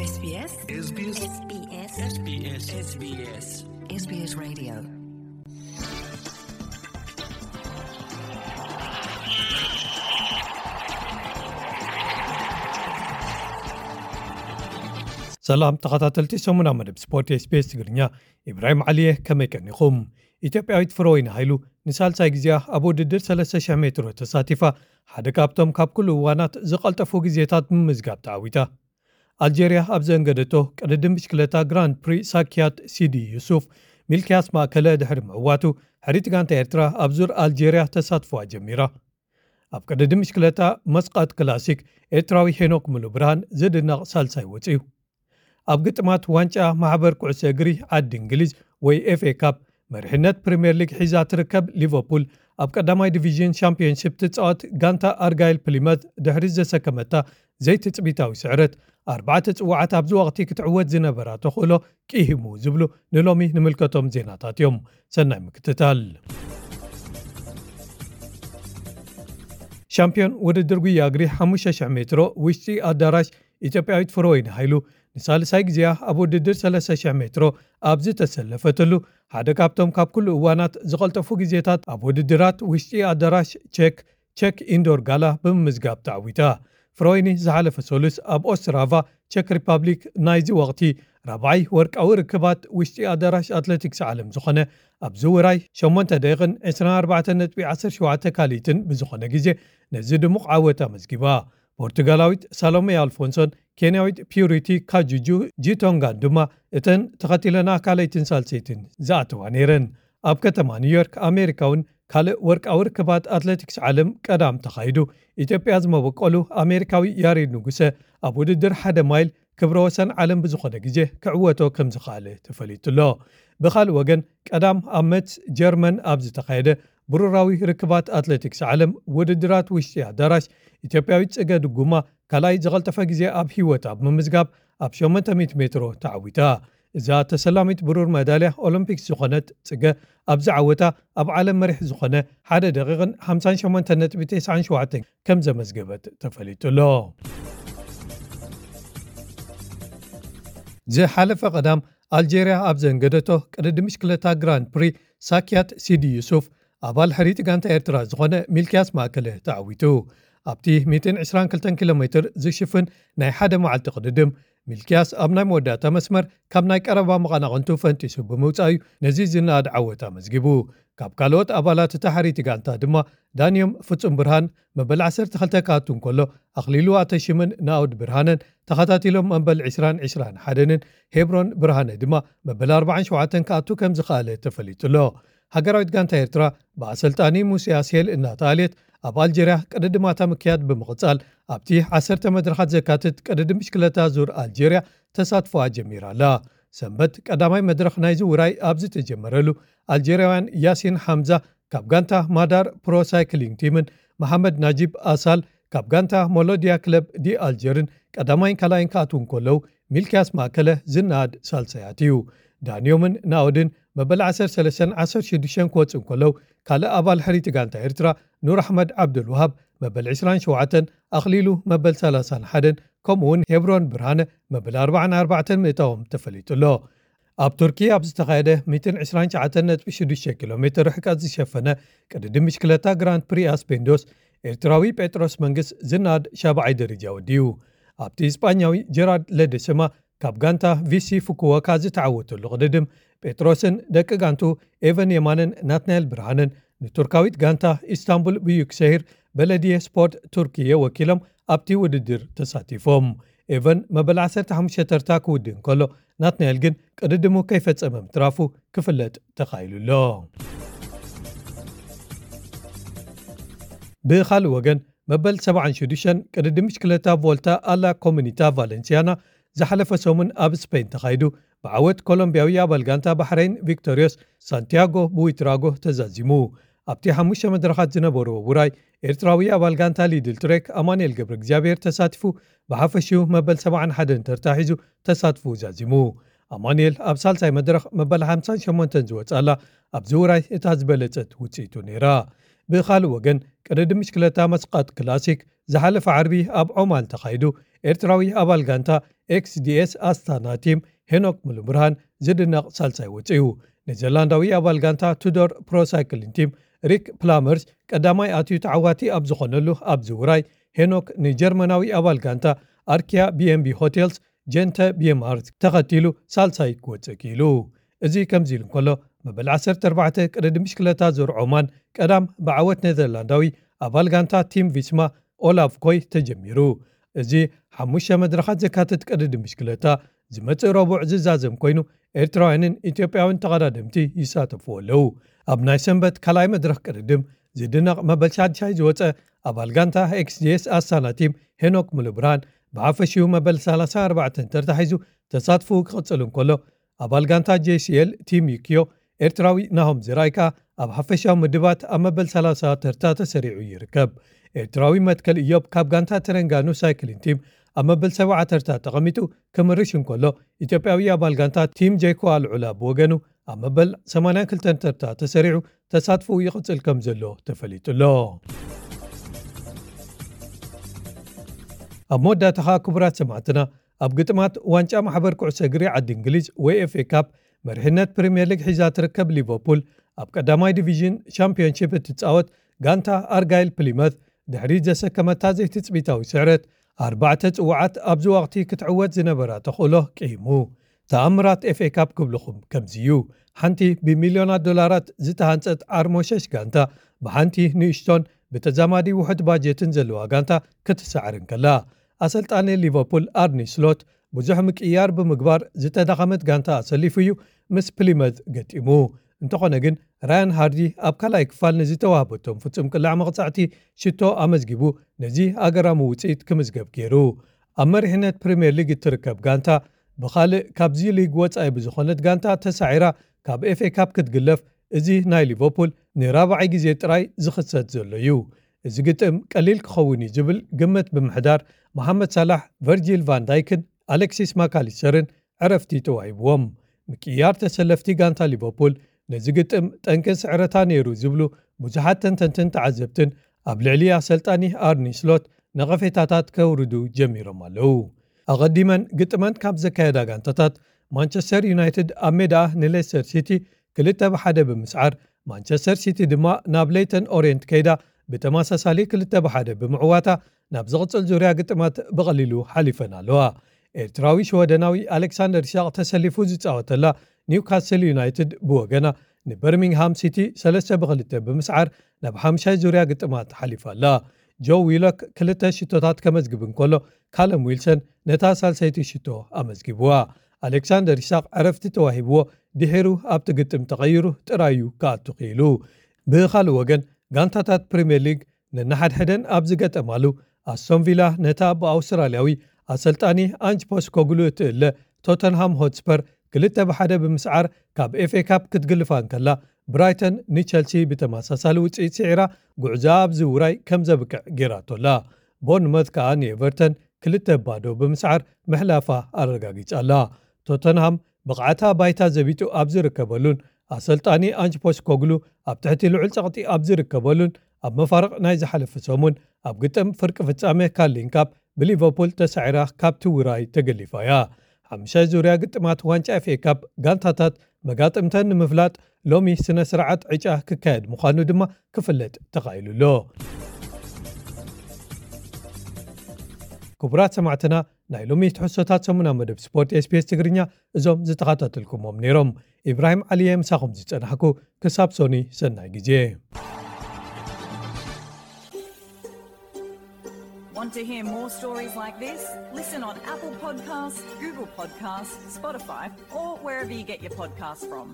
SBS SBS SBS SBS SBS Radio. ሰላም ተኸታተልቲ ሰሙና መደብ ስፖርት SBS ትግርኛ፣ ኢብራሂም ዓሊየ፣ ከመይ ቀኒኹም? ኢትዮጵያዊት ፍረወይኒ ሃይሉ ንሳልሳይ ግዜኣ ኣብ ውድድር ሰለስተ ሽሕ ሜትሮ ተሳቲፋ፣ ሓደ ካብቶም ካብ ኩሉ እዋናት ዝቐልጠፉ ግዜታት ብምምዝጋብ ተዓዊታ። ኣልጀርያ ኣብ ዘንገደቶ ቅድድም ብሽክለታ ግራንድ ፕሪ ሳኪያት ሲዲ ዩሱፍ፣ ሚልክያስ ማእከለ ድሕሪ ምዕዋቱ፣ ሕሪት ጋንታ ኤርትራ ኣብ ዙር ኣልጀርያ ተሳትፎኣ ጀሚራ። ኣብ ቅድድም ብሽክለታ መስቃት ክላሲክ፣ ኤርትራዊ ሄኖክ ሙሉ ብርሃን ዝድነቕ ሳልሳይ ወጺኡ። ኣብ ግጥማት ዋንጫ ማሕበር ኩዕሶ እግሪ ዓዲ እንግሊዝ ወይ ኤፍ ኤ ካፕ፣ መሪሕነት ፕሪምየር ሊግ ሒዛ ትርከብ ሊቨርፑል፣ ኣብ ቀዳማይ ዲቪዥን ሻምፒዮንሺፕ ትጻወት ጋንታ ኣርጋይል ፕሊመት ድሕሪ ዘሰከመታ ዘይትጽቢታዊ ስዕረት፣ ኣርባዕተ ጽዋዓት ኣብዚ ወቕቲ ክትዕወት ዝነበራ ተኽእሎ ቂሂሙ ዝብሉ ንሎሚ ንምልከቶም ዜናታት እዮም። ሰናይ ምክትታል። ሻምፒዮን ውድድር ጉያ እግሪ ሓሙሽተ ሽሕ ሜትሮ ውሽጢ ኣዳራሽ፣ ኢትዮጵያዊት ፍረወይኒ ሃይሉ ንሳልሳይ ግዜኣ ኣብ ውድድር ሰለስተ ሽሕ ሜትሮ ኣብ ዝተሰለፈትሉ፣ ሓደ ካብቶም ካብ ኩሉ እዋናት ዝቐልጠፉ ግዜታት ኣብ ውድድራት ውሽጢ ኣዳራሽ ቼክ፣ ቼክ ኢንዶር ጋላ ብምምዝጋብ ተዓዊታ። ፍረወይኒ ዝሓለፈ ሰሉስ ኣብ ኦስትራቫ ቼክ ሪፓብሊክ ናይዚ ወቕቲ ራብዓይ ወርቃዊ ርክባት ውሽጢ ኣዳራሽ ኣትሌቲክስ ዓለም ዝኾነ፣ ኣብ ዝውራይ ሸሞንተ ደቂቕን ዕስራን ኣርባዕተን ነጥቢ ዓሰርተ ሸውዓተ ካልኢትን ብዝኾነ ግዜ ነዚ ድሙቕ ዓወት ኣመዝጊባ። ፖርቱጋላዊት ሳሎሜ ኣልፎንሶን ኬንያዊት ፒዩሪቲ ካጁጁ ጂቶንጋን ድማ እተን ተኸቲለና ካልኣይትን ሳልሰይትን ዝኣተዋ ነይረን። ኣብ ከተማ ኒውዮርክ ኣሜሪካ እውን ካልእ ወርቃዊ ርክባት ኣትሌቲክስ ዓለም ቀዳም ተኻይዱ። ኢትዮጵያ ዝመበቆሉ ኣሜሪካዊ ያሬድ ንጉሰ ኣብ ውድድር ሓደ ማይል ክብረ ወሰን ዓለም ብዝኾነ ግዜ ክዕወቶ ከም ዝኸኣለ ተፈሊጡ ኣሎ። ብኻልእ ወገን፣ ቀዳም ኣብ መትስ ጀርመን ኣብ ዝተኻየደ ብሩራዊ ርክባት ኣትሌቲክስ ዓለም ውድድራት ውሽጢ ኣዳራሽ፣ ኢትዮጵያዊት ጽገ ድጉማ ካልኣይ ዝቐልጠፈ ግዜ ኣብ ህይወት ኣብ ምምዝጋብ ኣብ ሸሞንተ ሚእቲ ሜትሮ ተዓዊታ። እዛ ተሰላሚት ብሩር መዳልያ ኦሎምፒክስ ዝኾነት ጽገ፣ ኣብዚ ዓወታ ኣብ ዓለም መሪሕ ዝኾነ ሓደ ደቂቕን ሓምሳን ሸሞንተን ነጥቢ ተስዓን ሸውዓተን ከም ዘመዝገበት ተፈሊጡ ኣሎ። ዝሓለፈ ቀዳም ኣልጀርያ ኣብ ዘንገደቶ ቅድድም ብሽክለታ ግራንድ ፕሪ ሳኪያት ሲዲ ዩሱፍ፣ ኣባል ሕሪት ጋንታ ኤርትራ ዝኾነ ሚልክያስ ማእከለ ተዓዊቱ። ኣብቲ ሚእትን ዕስራን ክልተን ኪሎ ሜትር ዝሽፍን ናይ ሓደ መዓልቲ ቅድድም፣ ሚልክያስ ኣብ ናይ መወዳእታ መስመር ካብ ናይ ቀረባ መቐናቕንቱ ፈንጢሱ ብምውጻእ'ዩ ነዚ ዝነኣድ ዓወት ኣመዝጊቡ። ካብ ካልኦት ኣባላት እታ ሕሪት ጋንታ ድማ ዳንዮም ፍጹም ብርሃን መበል ዓሰርተ ክልተ ክኣቱ እንከሎ፣ ኣኽሊሉ ኣተሽምን ናኦድ ብርሃነን ተኸታቲሎም መበል ዕስራን ዕስራን ሓደን፣ ሄብሮን ብርሃነ ድማ መበል ኣርባዓን ሸውዓተን ክኣቱ ከም ዝኸኣለ ተፈሊጡ ኣሎ። ሃገራዊት ጋንታ ኤርትራ ብኣሰልጣኒ ሙሴ ኣስሄል እናተኣልየት፣ ኣብ ኣልጀርያ ቅድድማታ ምክያድ ብምቕጻል፣ ኣብቲ ዓሰርተ መድረኻት ዘካትት ቅድድም ብሽክለታ ዙር ኣልጀርያ ተሳትፎኣ ጀሚራ ኣላ። ሰንበት ቀዳማይ መድረኽ ናይዚ ውራይ ኣብ ዝተጀመረሉ፣ ኣልጀርያውያን ያሲን ሓምዛ ካብ ጋንታ ማዳር ፕሮ ሳይክሊንግ ቲምን መሓመድ ናጂብ ኣሳል ካብ ጋንታ ሞሎድያ ክለብ ዲ ኣልጀርን ቀዳማይን ካልኣይን ክኣትዉ እንከለዉ፣ ሚልክያስ ማእከለ ዝነኣድ ሳልሳይ ኣትዩ። ዳንዮምን ናኦድን መበል ዓሰርተ ሰለስተን ዓሰርተ ሽዱሽተን ክወጽኡ እንከለዉ፣ ካልእ ኣባል ሕሪቲ ጋንታ ኤርትራ ኑር ኣሕመድ ዓብዱልውሃብ መበል ዕስራን ሸውዓተን፣ ኣኽሊሉ መበል ሰላሳን ሓደን፣ ከምኡ እውን ሄብሮን ብርሃነ መበል ኣርባዓን ኣርባዕተን ምእታዎም ተፈሊጡ ኣሎ። ኣብ ቱርኪ ኣብ ዝተኻየደ ሚእትን ዕስራን ትሽዓተን ነጥቢ ሽዱሽተ ኪሎ ሜትር ርሕቀት ዝሸፈነ ቅድድም ብሽክለታ ግራንድ ፕሪ ኣስፔንዶስ፣ ኤርትራዊ ጴጥሮስ መንግስ ዝነኣድ ሻብዓይ ደረጃ ወዲኡ። ኣብቲ ስጳኛዊ ጀራርድ ለደሰማ ካብ ጋንታ ቪሲ ፉኩወካ ዝተዓወተሉ ቅድድም፣ ጴጥሮስን ደቂ ጋንቱ ኤቨን የማንን ናትናኤል ብርሃንን ንቱርካዊት ጋንታ ኢስታንቡል ብዩክሰሂር በለድየ ስፖርት ቱርክየ ወኪሎም ኣብቲ ውድድር ተሳቲፎም። ኤቨን መበል ዓሰርተ ሓሙሽተ ተርታ ክውድእ እንከሎ፣ ናትናኤል ግን ቅድድሙ ከይፈጸመ ምትራፉ ክፍለጥ ተኻኢሉ ኣሎ። ብኻልእ ወገን፣ መበል ሰብዓን ሽዱሽተን ቅድድም ብሽክለታ ቮልታ ኣላ ኮሙኒታ ቫለንሲያና ዝሓለፈ ሰሙን ኣብ ስፔን ተኻይዱ፣ ብዓወት ኮሎምቢያዊ ኣባል ጋንታ ባሕረይን ቪክቶሪዮስ ሳንቲያጎ ቡዊትራጎ ተዛዚሙ። ኣብቲ ሓሙሽተ መድረኻት ዝነበርዎ ውራይ፣ ኤርትራዊ ኣባል ጋንታ ሊድል ትሬክ ኣማኑኤል ገብረ እግዚኣብሔር ተሳቲፉ፣ ብሓፈሽኡ መበል ሰብዓን ሓደን ተርታ ሒዙ ተሳትፎኡ ዛዚሙ። ኣማኑኤል ኣብ ሳልሳይ መድረኽ መበል ሓምሳን ሸሞንተን ዝወጻላ ኣብዚ ውራይ እታ ዝበለጸት ውጽኢቱ ነይራ። ብኻልእ ወገን፣ ቅድድም ብሽክለታ መስቃጥ ክላሲክ ዝሓለፈ ዓርቢ ኣብ ዖማን ተኻይዱ፣ ኤርትራዊ ኣባል ጋንታ ኤክስዲኤስ ኣስታና ቲም ሄኖክ ሙሉብርሃን ዝድነቕ ሳልሳይ ወፂኡ። ኔዘርላንዳዊ ኣባል ጋንታ ቱዶር ፕሮሳይክሊን ቲም ሪክ ፕላመርስ ቀዳማይ ኣትዩ ተዓዋቲ ኣብ ዝኾነሉ ኣብዚ ውራይ፣ ሄኖክ ንጀርመናዊ ኣባል ጋንታ ኣርኪያ ቢኤንቢ ሆቴልስ ጀንተ ቢኤምኣር ተኸቲሉ ሳልሳይ ክወፅእ ክኢሉ። እዚ ከምዚ ኢሉ እንከሎ፣ መበል ዓሰርተ ኣርባዕተ ቅድድም ብሽክለታ ዙር ዖማን ቀዳም ብዓወት ኔዘርላንዳዊ ኣባል ጋንታ ቲም ቪስማ ኦላቭ ኮይ ተጀሚሩ። እዚ ሓሙሽተ መድረኻት ዘካትት ቅድድም ብሽክለታ ዝመጽእ ረቡዕ ዝዛዘም ኮይኑ፣ ኤርትራውያንን ኢትዮጵያውያን ተቐዳደምቲ ይሳተፍዎ ኣለዉ። ኣብ ናይ ሰንበት ካልኣይ መድረኽ ቅድድም ዝድነቕ መበል ሻድሻይ ዝወጸ ኣባል ጋንታ ኤክስዲኤስ ኣስታና ቲም ሄኖክ ሙሉብርሃን ብሓፈሽኡ መበል ሰላሳ ኣርባዕተ ተርታ ሒዙ ተሳትፎኡ ክቕጽል እንከሎ፣ ኣባል ጋንታ ጄሲኤል ቲም ዩኪዮ ኤርትራዊ ናሆም ዝራይ ከኣ ኣብ ሓፈሻዊ ምድባት ኣብ መበል ሰላሳ ተርታ ተሰሪዑ ይርከብ። ኤርትራዊ መትከል እዮብ ካብ ጋንታ ተረንጋኑ ሳይክሊን ቲም ኣብ መበል ሰብዓ ተርታ ተቐሚጡ ክምርሽ እንከሎ፣ ኢትዮጵያዊ ኣባል ጋንታ ቲም ጄኮ ኣልዑላ ብወገኑ ኣብ መበል ሰማንያን ክልተን ተርታ ተሰሪዑ ተሳትፎኡ ይቕጽል ከም ዘሎ ተፈሊጡ ኣሎ። ኣብ መወዳእታ ኸኣ ክቡራት ሰማዕትና፣ ኣብ ግጥማት ዋንጫ ማሕበር ኩዕሶ እግሪ ዓዲ እንግሊዝ ወይ ኤፍ ኤ ካፕ መሪሕነት ፕሪምየር ሊግ ሒዛ ትርከብ ሊቨርፑል፣ ኣብ ቀዳማይ ዲቪዥን ሻምፒዮንሺፕ እትጻወት ጋንታ ኣርጋይል ፕሊመት ድሕሪ ዘሰከመታ ዘይትጽቢታዊ ስዕረት ኣርባዕተ ጽዋዓት ኣብዚ ወቕቲ ክትዕወት ዝነበራ ተኽእሎ ቅይሙ። ተኣምራት ኤፍ ኤ ካፕ ክብልኹም ከምዚ እዩ። ሓንቲ ብሚልዮናት ዶላራት ዝተሃንጸት ዓርሞሸሽ ጋንታ ብሓንቲ ንእሽቶን ብተዛማዲ ውሑድ ባጀትን ዘለዋ ጋንታ ክትሰዓር እንከላ፣ ኣሰልጣኒ ሊቨርፑል ኣርኒ ስሎት ብዙሕ ምቅይያር ብምግባር ዝተዳኸመት ጋንታ ኣሰሊፉ እዩ ምስ ፕሊመዝ ገጢሙ። እንተኾነ ግን፣ ራያን ሃርዲ ኣብ ካልኣይ ክፋል ንዝተዋህበቶም ፍጹም ቅላዕ መቕጻዕቲ ሽቶ ኣመዝጊቡ ነዚ ኣገራሚ ውጽኢት ክምዝገብ ገይሩ። ኣብ መሪሕነት ፕሪምየር ሊግ እትርከብ ጋንታ ብኻልእ ካብዚ ሊግ ወጻኢ ብዝኾነት ጋንታ ተሳዒራ ካብ ኤፍ ኤ ካፕ ክትግለፍ፣ እዚ ናይ ሊቨርፑል ንራብዓይ ግዜ ጥራይ ዝኽሰት ዘሎ እዩ። እዚ ግጥም ቀሊል ክኸውን እዩ ዝብል ግምት ብምሕዳር፣ መሓመድ ሳላሕ፣ ቨርጂል ቫን ዳይክን ኣሌክሲስ ማካሊስተርን ዕረፍቲ ተዋሂብዎም። ምቅይያር ተሰለፍቲ ጋንታ ሊቨርፑል ነዚ ግጥም ጠንቂ ስዕረታ ነይሩ ዝብሉ ብዙሓት ተንተንትን ተዓዘብትን ኣብ ልዕሊ ኣሰልጣኒ ኣርኒ ስሎት ነቐፌታታት ከውርዱ ጀሚሮም ኣለዉ። ኣቐዲመን ግጥመን ካብ ዘካየዳ ጋንታታት፣ ማንቸስተር ዩናይትድ ኣብ ሜዳ ንሌስተር ሲቲ ክልተ ብሓደ ብምስዓር፣ ማንቸስተር ሲቲ ድማ ናብ ሌይተን ኦሬንት ከይዳ ብተመሳሳሊ ክልተ ብሓደ ብምዕዋታ፣ ናብ ዝቕጽል ዙርያ ግጥማት ብቐሊሉ ሓሊፈን ኣለዋ። ኤርትራዊ ሽወደናዊ ኣሌክሳንደር ኢሳቕ ተሰሊፉ ዝጻወተላ ኒውካስል ዩናይትድ ብወገና ንበርሚንግሃም ሲቲ ሰለስተ ብክልተ ብምስዓር ናብ ሓምሻይ ዙርያ ግጥማት ሓሊፋ ኣላ። ጆ ዊሎክ ክልተ ሽቶታት ከመዝግብ እንከሎ፣ ካለም ዊልሰን ነታ ሳልሰይቲ ሽቶ ኣመዝጊብዋ። ኣሌክሳንደር ኢሳቕ ዕረፍቲ ተዋሂብዎ ድሒሩ ኣብቲ ግጥም ተቐይሩ ጥራዩ ክኣቱ ክኢሉ። ብኻልእ ወገን፣ ጋንታታት ፕሪምየር ሊግ ነንሓድሕደን ኣብ ዝገጠማሉ፣ ኣስቶን ቪላ ነታ ብኣውስትራልያዊ ኣሰልጣኒ ኣንጅ ፖስኮግሉ እትእለ ቶተንሃም ሆትስፐር ክልተ ብሓደ ብምስዓር ካብ ኤፍ ኤ ካፕ ክትግልፋ እንከላ፣ ብራይተን ንቸልሲ ብተመሳሳሊ ውጽኢት ስዒራ ጉዕዞኣ ኣብዚ ውራይ ከም ዘብቅዕ ገይራቶ ኣላ። ቦርንመዝ ከኣ ንኤቨርተን ክልተ ባዶ ብምስዓር ምሕላፋ ኣረጋጊጻ ኣላ። ቶተንሃም ብቕዓታ ባይታ ዘቢጡ ኣብ ዝርከበሉን ኣሰልጣኒ ኣንጅ ፖስኮግሉ ኣብ ትሕቲ ልዑል ጸቕጢ ኣብ ዝርከበሉን፣ ኣብ መፋርቕ ናይ ዝሓለፈ ሰሙን ኣብ ግጥም ፍርቂ ፍጻመ ካርሊን ካፕ ብሊቨርፑል ተሳዒራ ካብቲ ውራይ ተገሊፋ እያ። ሓምሻይ ዙርያ ግጥማት ዋንጫ ኤፍ ኤ ካፕ ጋንታታት መጋጥምተን ንምፍላጥ ሎሚ ስነ ስርዓት ዕጫ ክካየድ ምዃኑ ድማ ክፍለጥ ተኻኢሉ ኣሎ። ክቡራት ሰማዕትና፣ ናይ ሎሚ ትሕዝቶታት ሰሙና መደብ ስፖርት ኤስ ቢ ኤስ ትግርኛ እዞም ዝተኸታተልኩሞም ነይሮም። ኢብራሂም ዓሊየ ምሳኹም ዝጸናሕኩ። ክሳብ ሶኒ፣ ሰናይ ግዜ። Want to hear more stories like this? Listen on Apple Podcasts, Google Podcasts, Spotify, or wherever you get your podcasts from.